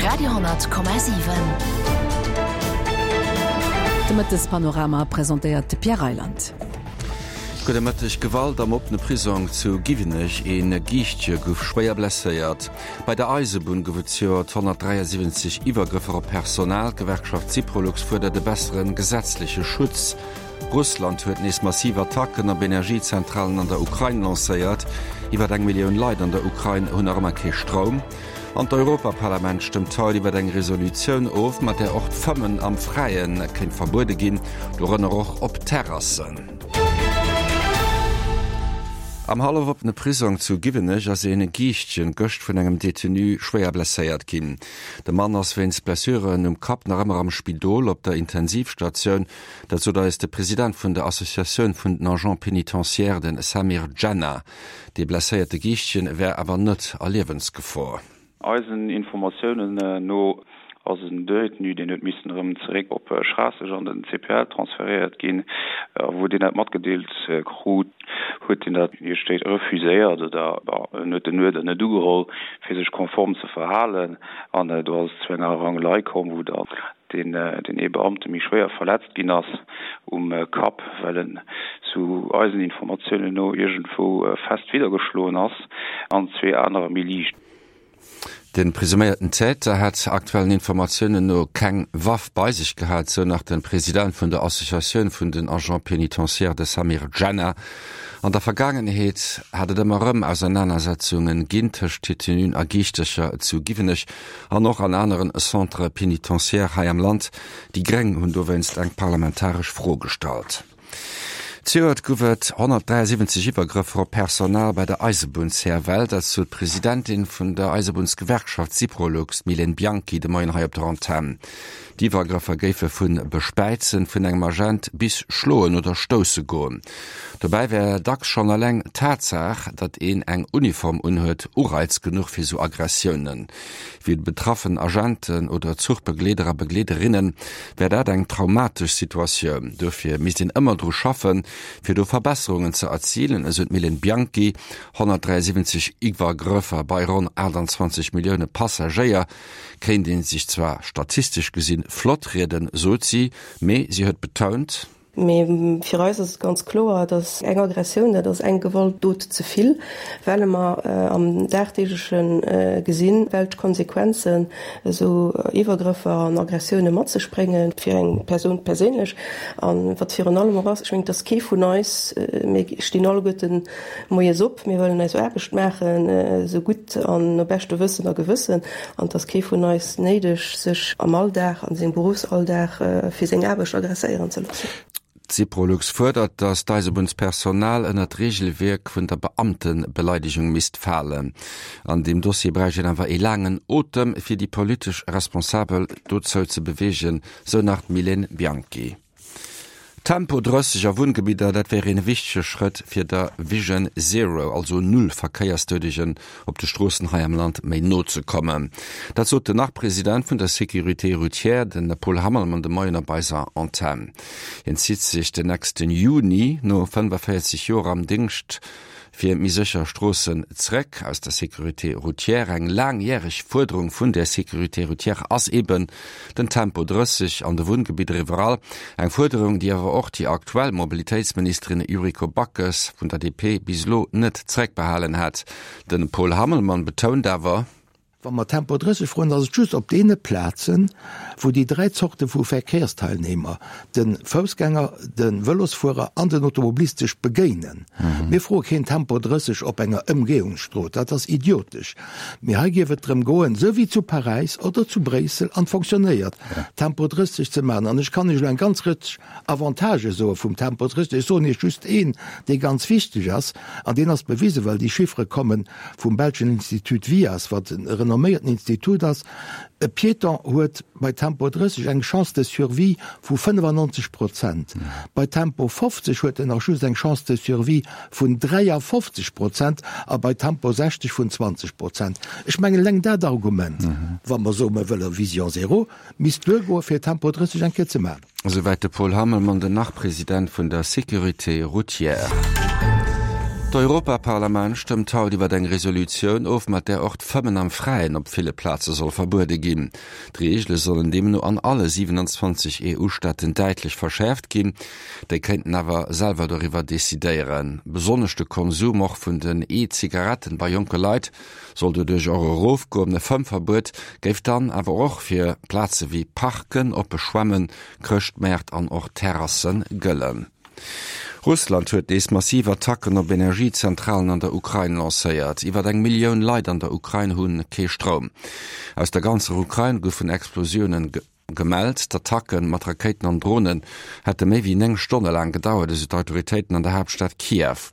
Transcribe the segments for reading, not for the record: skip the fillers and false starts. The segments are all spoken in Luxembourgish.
Radio,7. De Mëttespanorama presentéiert de Pierre Reyland. Gudde Mëtteg. Gewalt am oppene Prisong zu Giwenech, Ee Giischtje gouf schwéier blesséiert. Bei der Eisebunn gouf et zejoert 173 Iwwergrëffer op Personal. D'Gewerkschaft Syprolux fuerdert e bessere gesetzleche Schutz. Russland huet nees massiv Attacken op Energiezentralen an der Ukrain lancéiert. Iwwer eng Millioun Leit an der Ukrain hunn nach ëmmer kee Stroum. An d'Europaparlament stëmmt haut iwwer eng Resolutioun of, mat där och d'Fëmmen am Fräie kéint verbuede ginn, dorënner och op Terrassen. Am hallofoppene Prisong zu Giwenech ass een Giischtjen gëscht vun engem Detenu schwéier blesséiert ginn. De Mann ass wéinst Blessuren um Kapp nach ëmmer am Spidol op der Intensivstatioun. Dat sot eis de President vun der Associatioun vun den Agents pénitentiaires, de Samir Djenna. Dee blesséierte Giischtjen wär awer net a Liewensgefor. Eisen Informatiounen no ass en Détenu, deen huet missen erëm zeréck op Schraasseg an den CPL transferéiert ginn. A wou deen dat matgedeelt krut, huet deen dat, wéi et steet, refuséiert oder en huet den Uerder net ugeholl, fir sech konform ze verhalen. An do ass et zu enger Rangelei komm, wou dann deen ee Beamte méi schwéier verletzt ginn ass um Kapp, well en sou eisen Informatiounen no iergendwou fest widdergeschloen ass, an zwee anerer méi liicht. De presuméierten Täter hätt aktuellen Informatiounen no keng Waff bei sech gehat, sou nach de President vun der Associatioun vun den Agents pénitentiaires, de Samir Djenna. An der Vergaangenheet hat et ëmmer erëm Ausernanersetzunge ginn tëscht Detenuen a Giischtercher zu Giwenech an och an aneren Centres pénitentiaires hei am Land. Déi Gréng hunn dowéinst eng parlamentaresch Fro gestallt. Zejoert gouf et 173 Iwwergrëffer op Personal bei der Eisebunn CFL. Dat sot d'Presidentin vun der Eisebunnsgewerkschaft Syprolux, d'Mylène Bianchy, de Moien hei op der Antenn. D'Iwwergrëffer géife vu Bespäizen vun engem Agent bis Schloen oder Stousse goen. Dobäi wär dacks schonn eleng d'Tatsaach, datt een eng Uniform unhuet, Ureiz genuch fir sou Aggressiounen. Fir déi betraffen Agenten oder Zuchbegleeder a Begleederinne wär dat eng traumatesch Situatioun. Dofir misst een ëmmer dru schaffen, fir do Verbesserungen ze erzilen, esou d'Mylène Bianchy. 173 Iwwergrëffer bei ronn 28 Millioune Passagéier kéint ee sech zwar statistesch gesinn flott rieden, sot si, mee si huet betount. Mee fir eis ass et ganz kloer, datt eng Aggressioun, dat ass eng Gewaltdot ze vill, well mer am dagdeegleche gesinn, welch Konsequenzen esou Iwwergrëffer an Aggressioune mat sech bréngen fir eng Persoun perséinlech. A wat virun allem och ass, ech mengen, et ass kee vun eis, mir stinn alleguerten moies op, mir wëllen eis Aarbecht maachen, esou gutt an no beschte Wëssen a Gewëssen, an et ass kee vun eis néideg, sech am Alldag, an sengem Beruffsalldag fir seng Aarbecht agresséieren ze loossen. D'Syprolux fuerdert, datt d'Eisebunnspersonal ënner d'Reegelwierk vun der Beamtebeleidegung misst falen. An deem Dossier bräicht een awer ee laangen Otem, fir déi politesch Responsabel dozou ze beweegen, sou nach d'Mylène Bianchy. Tempo 30 a Wunngebidder, dat wär een wichtege Schrëtt fir der Vision Zero, also null Verkéiersdoudegen op de Stroossen hei am Land, méi no ze kommen. Dat sot den Nach-President vun der Sécurité routière, de Paul Hammelmann, de Moien op eiser Antenn. Hien zitt sech den nächsten Juni no 45 Joer am Dingscht fir méi sécher Stroossen zréck aus der Sécurité routière. Eng laangjäreg Fuerderung vun der Sécurité routière ass eben den Tempo 30 an de Wunngebidder iwwerall. Eng Fuerderung, déi awer och déi aktuell Mobilitéitsministerin Yuriko Backes vun der DP bis elo net zréckbehalen hat. De Paul Hammelmann betount awer, Wa mer Tempo 30 froen, ass et just op deene Plazen, wou déi dräi Zorte vu Verkehrsteilnehmer, de Foussgänger, de Vëlosfuerer an den Automobilist sech begéinen. Mir froe keen Tempo 30 op enger Ëmgehungsstrooss, dat ass idiotesch. Mee hei géif et drëm goen, esou wéi zu Paräis oder zu Bréissel, an et fonctionnéiert, Tempo 30 ze maachen. An ech kann Iech elo eng ganz Rëtsch Avantagë soe vum Tempo 30. Ech soen Iech just een, dee ganz wichteg ass, an deen ass bewisen, well déi Chiffere kommen vum belschen Institut VIAS, wat e renomméierten Institut ass, E Piéton huet bei Tempo 30 eng Chance de survie vu 95 Prozent, bei Tempo 50 huet en nach just eng Chance de survie vun 53 Prozent a bei Tempo 60 vun 20 Prozent. Ech mengen, eleng dat Argument, wa mer soen, mer wëlle Vision zéro, misst duergoe fir Tempo 30 eng Kéier ze maachen. Esouwäit de Paul Hammelmann, den Nach-President vun der Sécurité routière. D'Europaparlament stëmmt haut iwwer eng Resolutioun of, mat där och d'Fëmmen am Fräien op ville Plaze soll verbuede ginn. D'Reegele sollen deemno an alle 27 EU-Staaten däitlech verschäerft ginn. Déi kéinten awer selwer doriwwer decidéieren. Besonnesch de Konsum och vun den E-Zigaretten bei jonke Leit soll doduerch och erofgoen. E Fëmmverbuet géif dann awer och fir Plaze wéi Parken, oppe Schwämmen, Chrëschtmäert an och Terrasse gëllen. Russland huet nees massiv Attacken op Energiezentralen an der Ukrain lancéiert. Iwwer eng Millioun Leit an der Ukrain hu kee Stroum. Aus der ganzer Ukrain goufen Explosiounen gemellt. D'Attacke mat Rakéiten an Dronen hätte méi wéi 9 Stonne laang gedauert, esou d'Autoritéiten an der Haaptstad Kiew.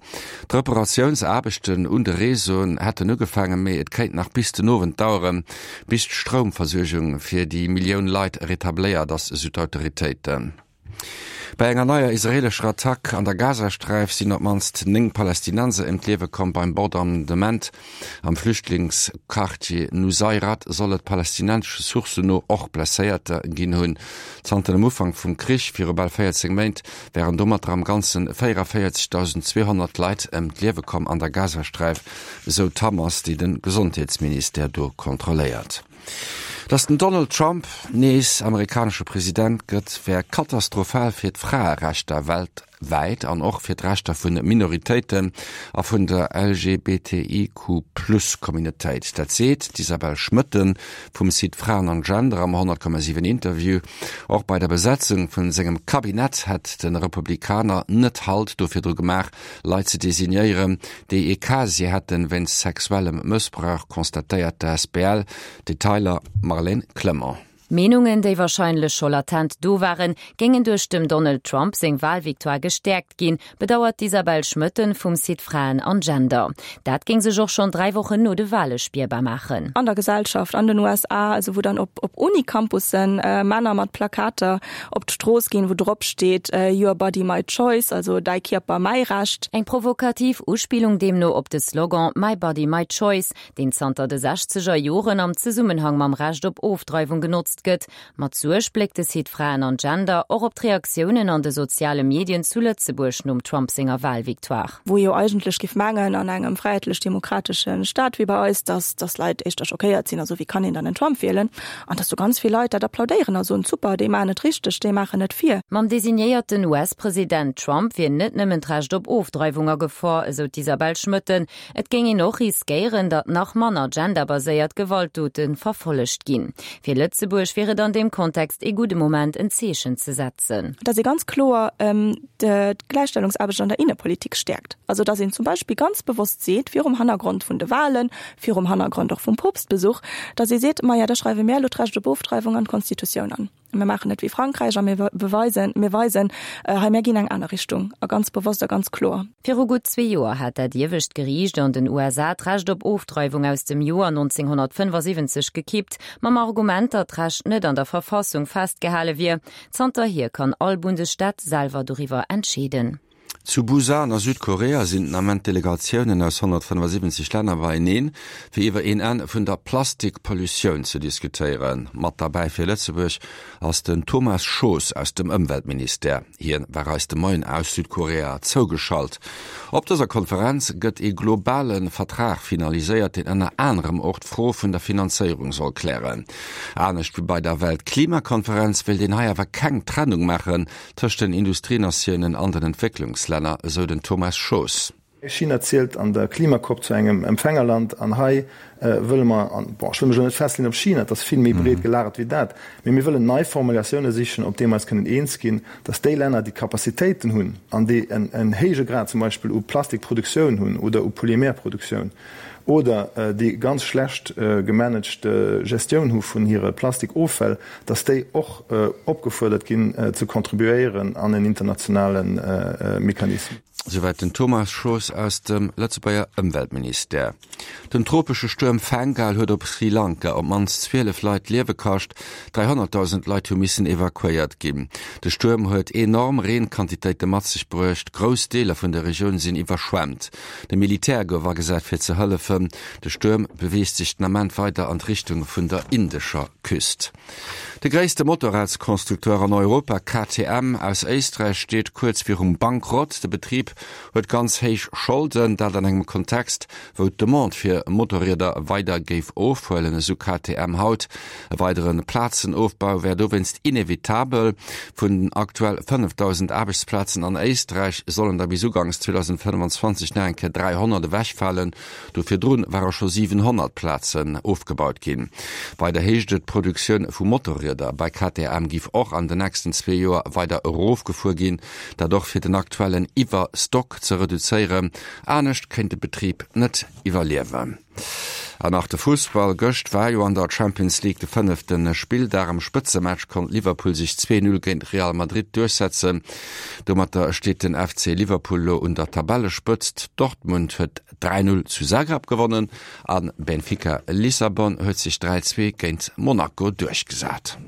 D'Reparatiounsaarbechten un de Réseauen hätten ugefaangen, mee et kéint nach bis den Owend daueren, bis d'Stroumversuergung fir déi Millioun Leit retabléiert ass, esou d'Autoritéiten. Bei enger neier israeelescher Attack an der Gazasträif sinn op d'mannst 9 Palästinenser ëm d'Liewe komm. Beim Bombardement am Flüchtlingsquartier Nuseirat soll et palästinensesche Sourcen no och Blesséierter ginn hunn. Zanter dem Ufank vum Krich viru bal 14 Méint wären domatter am Ganze 44.200 Leit ëm d'Liewe komm an der Gazasträif, esou d'Hamas, déi de Gesondheetsministère do kontrolléiert. Datt den Donald Trump nees amerikanesche President gëtt, wär katastrophal fir d'Fraerechter weltwäit an och fir d'Rechter vu Minoritéiten a vun der LGBTIQ-Plus-Communautéit. Dat seet d'Isabelle Schmoetten vum Site Fraen an Gender am 100,7 Interview. Och bei der Besetzung vun sengem Kabinett hätt de Republikaner net Halt do virdru gemaach, Leit ze designéieren, déi ee Casier hätten wéinst sexuellem Mëssbrauch, constatéiert d'ASBL. Detailer Marlène Clement. Meenungen, déi warscheinlech scho latent do waren, géingen duerch dem Donald Trump seng Walvictoire gestäerkt ginn, bedauert d'Isabelle Schmoetten vum Site Fraen an Gender. Dat géing sech och schonn 3 Wochen no de Wale spierbar maachen. An der Gesellschaft an den USA, also wou dann op op Uni-Campussen Männer mat Plakater op d'Strooss ginn, wou drop steet Your body, my choice, also däi Kierper, mäi Recht. Eng provokativ Uspillung deemno op de Slogan My body, my choice, deen zanter de sechzeger Joren am Zesummenhang mam Recht op Ofdreiwung genotzt gëtt. Mat Suerg bléckt de Site Fraen an Gender och op d'Reaktiounen an de soziale Medien zu Lëtzebuerg nom Trump senger Walvictoire. Wou ee jo eigentlech géif mengen, an engem fräiheetlech-demokratesche Staat wéi bei eis, dass dass Leit éischter schockéiert sinn a soen, wéi kann een dann en Trump wielen? An dass do ganz vill Leit dat applaudéieren a soen, super, déi maachen et richteg, déi maachen et vir. Mam designéierten US-President Trump wier net nëmmen d'Recht op Ofdreiwung a Gefor, esou d'Isabelle Schmoetten. Et géing een och riskéieren, datt nach manner genderbaséiert Gewaltdote verfollegt ginn. Fir Lëtzebuerg wier et an deem Kontext ee gudde Moment, en Zeechen ze setzen. Dass ee ganz kloer d'Gläichstellungsaarbecht an der Innepolitik stäerkt. Also dass een zum Beispill ganz bewosst seet, virum Hannergrond vun de Wahlen, virum Hannergrond och vum Poopstbesuch, dass ee seet, Maja, da schreiwe mär elo d'Recht op Ofdreiwung an d'Constitutioun an. Mir maachen et wéi Frankräich a mir beweisen, mir weisen, hei mär ginn eng aner Richtung a ganz bewosst a ganz kloer. Viru gutt zwee Joer hat dat iewescht Geriicht an den USA d'Recht op Ofdreiwung aus dem Joer 1975 gekippt, mam Argument, datt d'Recht net an der Verfassung festgehale wier. Zanterhier kann all Bundesstaat selwer doriwwer entscheeden. Zu Busan a Südkorea sinn den Ament Delegatiounen aus 175 Länner beieneen, fir iwwer een Enn vun der Plastikpollutioun ze diskutéieren. Mat derbäi fir Lëtzebuerg ass den Thomas Schoos aus dem Ëmweltministère. Hien war eis de Moien aus Südkorea zougeschalt. Op dëser Konferenz gëtt ee globale Vertrag finaliséiert, deen ënner anerem och d'Fro vun der Finanzéierung soll klären. Anescht wéi bei der Weltklimakonferenz wéilt een hei awer keng Trennung maachen Tëscht den Industrienatiounen an den Entwécklungslänner, esou den Thomas Schoos. China zielt an der Klima-COP zu engem Empfängerland an hei wëlle mer, an bon, ech wëll mech elo net festleeën op China, et ass vill méi breet gelagert wéi dat, mee mir wëllen nei Formulatioune sichen, op deem mer eis kënnen eens ginn, datt déi Länner, déi d'Capacitéiten hunn an déi en héije Grad zum Beispill u Plastikproduktioun hunn oder u Polymerproduktioun, oder déi ganz schlecht gemanagte Gestioun hu vun hire Plastikoffäll, dass déi och opgefuerdert ginn ze contribuéieren an en internationale Mechanismus. Souwäit den Thomas Schoos aus dem Lëtzebuerger Ëmweltministère. Den tropesche Stuerm Fengal huet op Sri Lanka op d'mannst 12 Leit d'Liewe kascht. 300.000 Leit hu missen evakuéiert ginn. De Stuerm huet enorm Reenquantitéite mat sech bruecht. Grouss Deeler vun der Regioun sinn iwwerschwemmt. De Militär gouf agesat fir ze hëllefen. De Stuerm beweegt sech den Ament weider an d'Richtung vun der indescher Küst. De gréisste Motorradsconstructeur an Europa, KTM aus Éisträich, steet kuerz virum Bankrott. De Betrib huet ganz héich Scholden, dat an engem Kontext, wou d'Demande fir Motorrieder weider géif ofhuelen, esou KTM haut. E weidere Plazenofbau wär dowéinst inevitabel. Vun den aktuell 5.000 Aarbechtsplazen an Éisträich sollen der bis uganks 2025 nach eng Kéier 300 ewechfalen. Do virdrun ware scho 700 Plazen ofgebaut ginn. Weider heescht et, d'Produktioun vu Motorrieder bei KTM giff och an den nächsten zwee Joer weider erofgefuer ginn, dat och fir den aktuellen Iwwerstock ze reduzéieren. Anescht kéint de Betrib net iwwerliewen. An nach de Fussball, Gëscht war jo an der Champions League de fënnefte Spilldag. Am Spëtzematch konnt Liverpool sech 2, 0 géint Real Madrid duerchsetzen. Domatter steet den FC Liverpool elo un der Tabellespëtzt. Dortmund huet 3, 0 zu Zagreb gewonnen a Benfica Lissabon huet sech 3, 2 géint Monaco duerchgesat.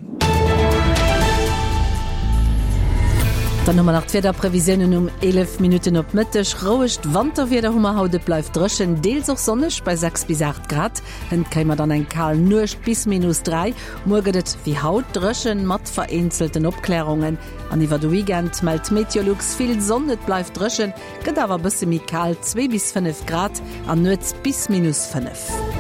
Dann hu mer nach d'Wiederprevisiounen um 11 Minutten op Mëtteg. Rouegt Wanterwieder hu mer haut, et bleift dréchen, deels och sonneg bei 6 bis 8 Grad. Hënt kréie mer dann eng kal Nuecht bis minus 3. Muer gëtt et wéi haut dréchen mat vereenzelten Opklärungen an iwwer de Weekend mellt Meteolux vill Sonn. Et bleift dréchen, gëtt awer e bësse méi kal, 2 bis 5 Grad an nuets bis minus 5.